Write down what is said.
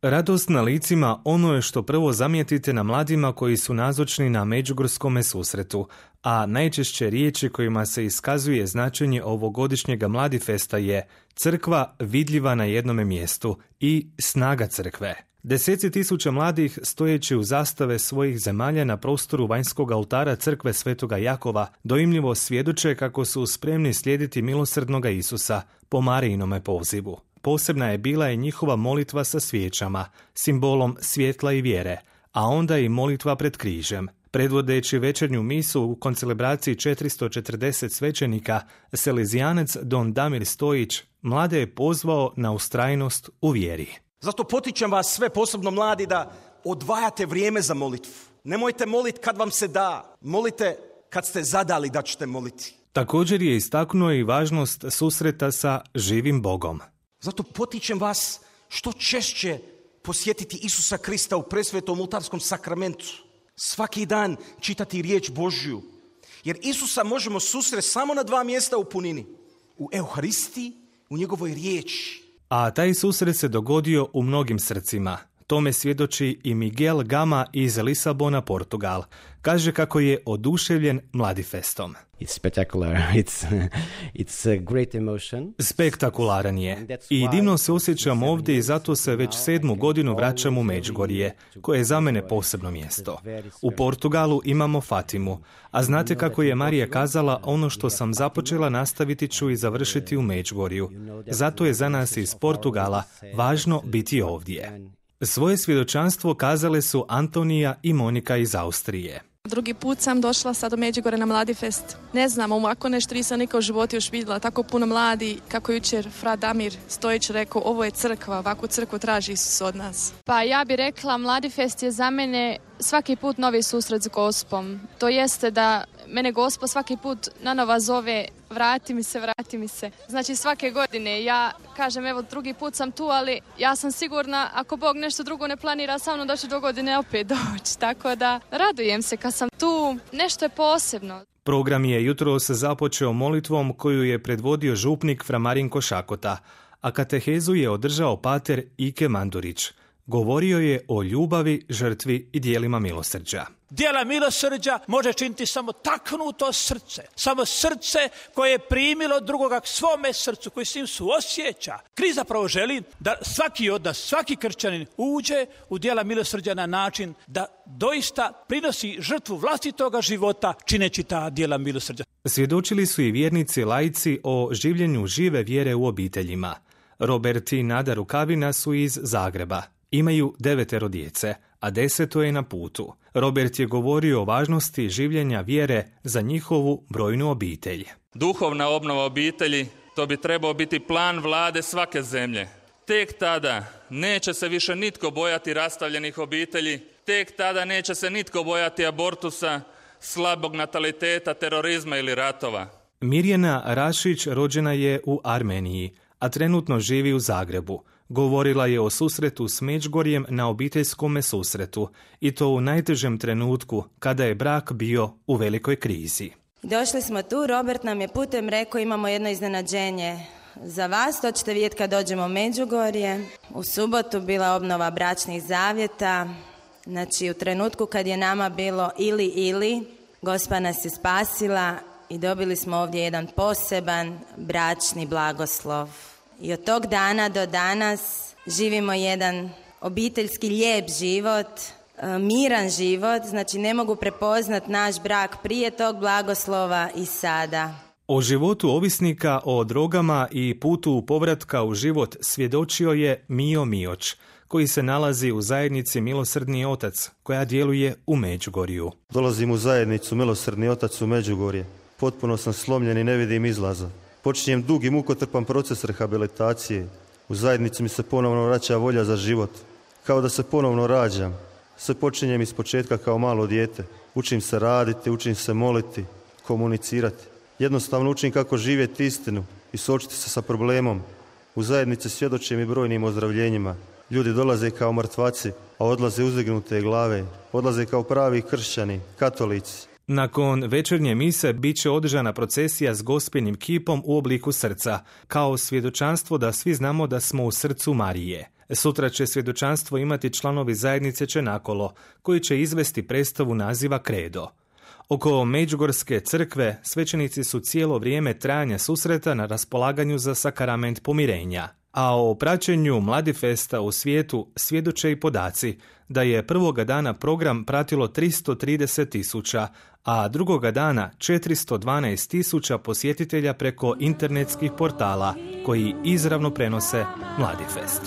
Radost na licima ono je što prvo zamijetite na mladima koji su nazočni na međugorskome susretu, a najčešće riječi kojima se iskazuje značenje ovogodišnjega Mladifesta je crkva vidljiva na jednome mjestu i snaga crkve. Deseci tisuća mladih stojeći u zastave svojih zemalja na prostoru vanjskog oltara crkve Svetoga Jakova dojmljivo svjedoče kako su spremni slijediti milosrdnoga Isusa po Marijinome pozivu. Posebna je bila i njihova molitva sa svijećama, simbolom svjetla i vjere, a onda i molitva pred križem. Predvodeći večernju misu u koncelebraciji 440 svećenika, selezijanac Don Damir Stojić mlade je pozvao na ustrajnost u vjeri. Zato potičem vas sve, posebno mladi, da odvajate vrijeme za molitvu. Nemojte moliti kad vam se da, molite kad ste zadali da ćete moliti. Također je istaknuo i važnost susreta sa živim Bogom. Zato potičem vas što češće posjetiti Isusa Krista u presvetom oltarskom sakramentu. Svaki dan čitati riječ Božju. Jer Isusa možemo susresti samo na 2 mjesta u punini. U Euharistiji, u njegovoj riječi. A taj susret se dogodio u mnogim srcima. Tome svjedoči i Miguel Gama iz Lisabona, Portugal. Kaže kako je oduševljen Mladifestom. It's spectacular. It's a great emotion. Spektakularan je. I divno se osjećam ovdje i zato se već 7. godinu vraćam u Međugorje, koje je za mene posebno mjesto. U Portugalu imamo Fatimu, a znate kako je Marija kazala, ono što sam započela nastaviti ću i završiti u Međugorju. Zato je za nas iz Portugala važno biti ovdje. Svoje svjedočanstvo kazale su Antonija i Monika iz Austrije. Drugi put sam došla sad u Međugorje na Mladifest. Ne znam, ovako nešto nisam nikad u životu još vidjela. Tako puno mladi, kako jučer Fra Damir Stojić rekao, ovo je crkva, ovakvu crkvu traži Isus od nas. Pa ja bih rekla, Mladifest je za mene svaki put novi susret s Gospom. To jeste da mene Gospo svaki put nanova zove, vrati mi se. Znači svake godine ja kažem, evo drugi put sam tu, ali ja sam sigurna ako Bog nešto drugo ne planira sa mnom da ću do godine opet doći. Tako da radujem se kad sam tu, nešto je posebno. Program je jutros započeo molitvom koju je predvodio župnik Fra Marinko Šakota, a katehezu je održao pater Ike Mandurić. Govorio je o ljubavi, žrtvi i dijelima milosrđa. Dijela milosrđa može činiti samo taknuto srce. Samo srce koje je primilo drugoga k svome srcu, koji s njim suosjeća. Krist zapravo želi da svaki od nas, svaki kršćanin uđe u dijela milosrđa na način da doista prinosi žrtvu vlastitoga života čineći ta dijela milosrđa. Svjedočili su i vjernici laici o življenju žive vjere u obiteljima. Robert i Nada Rukavina su iz Zagreba. Imaju 9 djece, a 10 je na putu. Robert je govorio o važnosti življenja vjere za njihovu brojnu obitelj. Duhovna obnova obitelji, to bi trebao biti plan vlade svake zemlje. Tek tada neće se više nitko bojati rastavljenih obitelji, tek tada neće se nitko bojati abortusa, slabog nataliteta, terorizma ili ratova. Mirjana Rašić rođena je u Armeniji, a trenutno živi u Zagrebu. Govorila je o susretu s Međugorjem na obiteljskome susretu, i to u najtežem trenutku kada je brak bio u velikoj krizi. Došli smo tu, Robert nam je putem rekao, imamo jedno iznenađenje za vas, to ćete vidjeti kad dođemo u Međugorje. U subotu bila obnova bračnih zavjeta, znači u trenutku kad je nama bilo ili, Gospa nas je spasila i dobili smo ovdje jedan poseban bračni blagoslov. I od tog dana do danas živimo jedan obiteljski lijep život, miran život, znači ne mogu prepoznat naš brak prije tog blagoslova i sada. O životu ovisnika o drogama i putu povratka u život svjedočio je Mio Mioć, koji se nalazi u zajednici Milosrdni otac, koja djeluje u Međugorju. Dolazim u zajednicu Milosrdni otac u Međugorje. Potpuno sam slomljen i ne vidim izlaza. Počinjem dug i mukotrpan proces rehabilitacije. U zajednici mi se ponovno vraća volja za život. Kao da se ponovno rađam. Sve počinjem iz početka kao malo dijete. Učim se raditi, učim se moliti, komunicirati. Jednostavno učim kako živjeti istinu i suočiti se sa problemom. U zajednici svjedočim i brojnim ozdravljenjima. Ljudi dolaze kao mrtvaci, a odlaze uzdignute glave. Odlaze kao pravi kršćani, katolici. Nakon večernje mise bit će održana procesija s Gospinim kipom u obliku srca, kao svjedočanstvo da svi znamo da smo u srcu Marije. Sutra će svjedočanstvo imati članovi zajednice Čenakolo, koji će izvesti predstavu naziva Kredo. Oko Međugorske crkve svećenici su cijelo vrijeme trajanja susreta na raspolaganju za sakrament pomirenja. A o praćenju Mladifesta u svijetu svjedoče i podaci da je prvoga dana program pratilo 330.000, a drugoga dana 412.000 posjetitelja preko internetskih portala koji izravno prenose Mladifest.